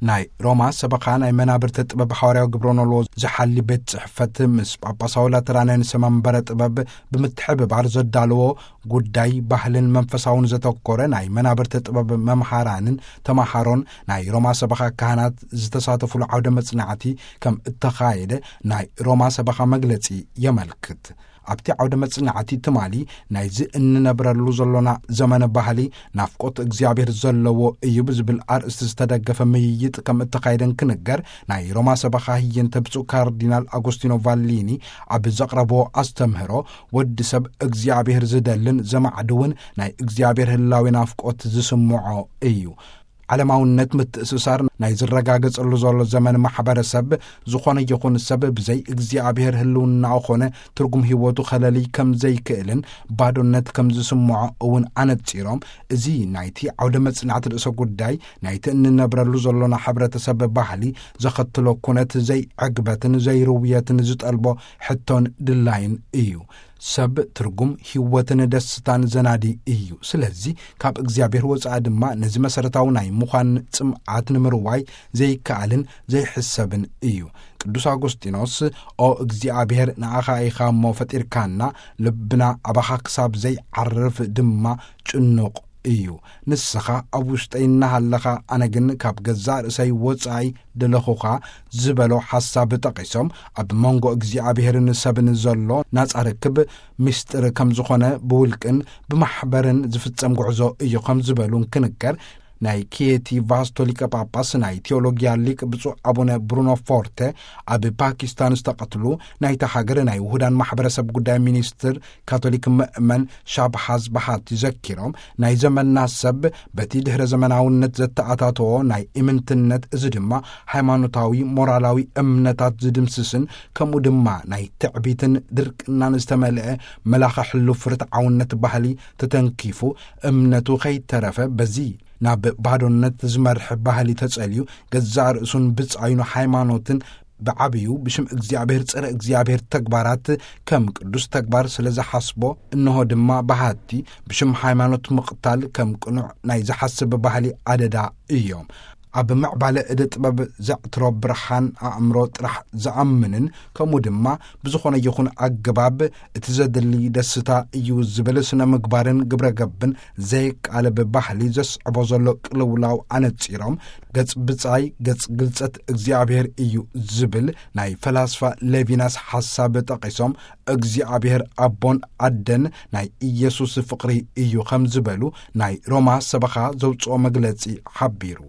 ናይ ሮማ ሰበኻ ናይ መናብርተ ጥበብ ሓዋርያዊ ግብረ ኖልዎ ዝሓሊ ቤት ጽሕፈት ምስ ጳጳሳዊ ላተራንያን ሰመንበረ ጥበብ ብምትሕብባር ዘዳለዎ ጉዳይ ባህልን መንፈሳውን ዘተኮረ ናይ መናብርተ ጥበብ መምሃራንን ተማሃሮን ናይ ሮማ ሰበኻ ካህናት ዝተሳተፉሉ ዓውደ መጽናዕቲ ከም እተኻየደ ናይ ሮማ ሰበኻ መግለጺ የመልክት። ኣብቲ ዓውደ መጽናዕቲ ትማሊ ናይዚ እንነብረሉ ዘሎና ዘመነ ባህሊ ናፍቆት እግዚኣብሔር ዘለዎ እዩ ብዝብል ኣርእስቲ ዝተደገፈ ምይይጥ ከም እተኻየደን ክንገር፣ ናይ ሮማ ሰበኻ ህየንተ ብፁዕ ካርዲናል ኣጎስቲኖ ቫሊኒ ኣብ ዘቕረብዎ ኣስተምህሮ፣ ወዲ ሰብ እግዚኣብሔር ዝደልን ዘማዕድውን ናይ እግዚኣብሔር ህላዊ ናፍቆት ዝስምዖ እዩ። ዓለማውነት ምትእስሳር ናይ ዝረጋገጸሉ ዘሎ ዘመን ማሕበረሰብ፣ ዝኾነ ይኹን ሰብ ብዘይ እግዚኣብሔር ህልውናኡ ኾነ ትርጉም ህይወቱ ከለሊ ከም ዘይክእልን ባዶነት ከም ዝስምዖ እውን ኣነጺሮም፣ እዚ ናይቲ ዓውደ መጽናዕቲ ርእሰ ጉዳይ ናይቲ እንነብረሉ ዘሎና ሕብረተሰብ ባህሊ ዘኸትሎ ኩነት ዘይዕግበትን ዘይርውየትን ዝጠልቦ ሕቶን ድላይን እዩ። ሰብ ትርጉም ህይወትን ደስታን ዘናዲ እዩ። ስለዚ ካብ እግዚኣብሔር ወጻኢ ድማ ነዚ መሰረታዊ ናይ ምዃን ጽምዓት ንምርዋይ ዘይከኣልን ዘይሕሰብን እዩ። ቅዱስ ኣጎስጢኖስ፣ "ኦ እግዚኣብሔር፣ ንኣኻ ኢኻ እሞ ፈጢርካና፣ ልብና ኣባኻ ክሳብ ዘይዓርፍ ድማ ጭኑቕ እዩ። ንስኻ ኣብ ውሽጠይ እናሃለኻ፣ ኣነ ግን ካብ ገዛእ ርእሰይ ወጻኢ ደለኹኻ" ዝበሎ ሓሳብ ጠቒሶም፣ ኣብ መንጎ እግዚኣብሔርን ሰብን ዘሎ ናጻ ርክብ ምስጢር ከም ዝኾነ ብውልቅን ብማሕበርን ዝፍጸም ጉዕዞ እዩ ከም ዝበሉ እንክንገር፣ ናይ ኪየቲ ቫስቶ ሊቀ ጳጳስ ናይ ቴዎሎጊያ ሊቅ ብፁዕ ኣቡነ ብሩኖ ፎርተ፣ ኣብ ፓኪስታን ዝተቐትሉ ናይታ ሃገር ናይ ውሁዳን ማሕበረሰብ ጉዳይ ሚኒስትር ካቶሊክ ምእመን ሻብሃዝ ባሃቲ ዘኪሮም፣ ናይ ዘመንና ሰብ በቲ ድሕረ ዘመናውነት ዘተኣታተዎ ናይ ኢምንትነት፣ እዚ ድማ ሃይማኖታዊ ሞራላዊ እምነታት ዝድምስስን ከምኡ ድማ ናይ ትዕቢትን ድርቅናን ዝተመልአ መላኸ ሕሉፍ ርትዓውነት ባህሊ ተተንኪፉ፣ እምነቱ ከይተረፈ በዚ ናብ ባዶነት ዝመርሕ ባህሊ ተጸልዩ፣ ገዛእ ርእሱን ብጻዩን ሃይማኖትን ብዓብዩ ብሽም እግዚኣብሔር ጸረ እግዚኣብሔር ተግባራት ከም ቅዱስ ተግባር ስለ ዝሓስቦ፣ እንሆ ድማ ባሃቲ ብሽም ሃይማኖት ምቕታል ከም ቅኑዕ ናይ ዝሓስብ ባህሊ ኣደዳ እዮም። ኣብ ምዕባለ እደ ጥበብ ዘዕትሮ ብርሃን ኣእምሮ ጥራሕ ዝኣምንን ከምኡ ድማ ብዝኾነ ይኹን ኣገባብ እቲ ዘድሊ ደስታ እዩ ዝብል ስነ ምግባርን ግብረ ገብን ዘይቃለብ ባህሊ ዘስዕቦ ዘሎ ቅልውላው ኣነጺሮም፣ ገጽ ብጻይ ገጽ ግልጸት እግዚኣብሔር እዩ ዝብል ናይ ፈላስፋ ሌቪናስ ሓሳብ ጠቒሶም፣ እግዚኣብሔር ኣቦን ኣደን ናይ ኢየሱስ ፍቕሪ እዩ ከም ዝበሉ ናይ ሮማ ሰበኻ ዘውጽኦ መግለጺ ሓቢሩ።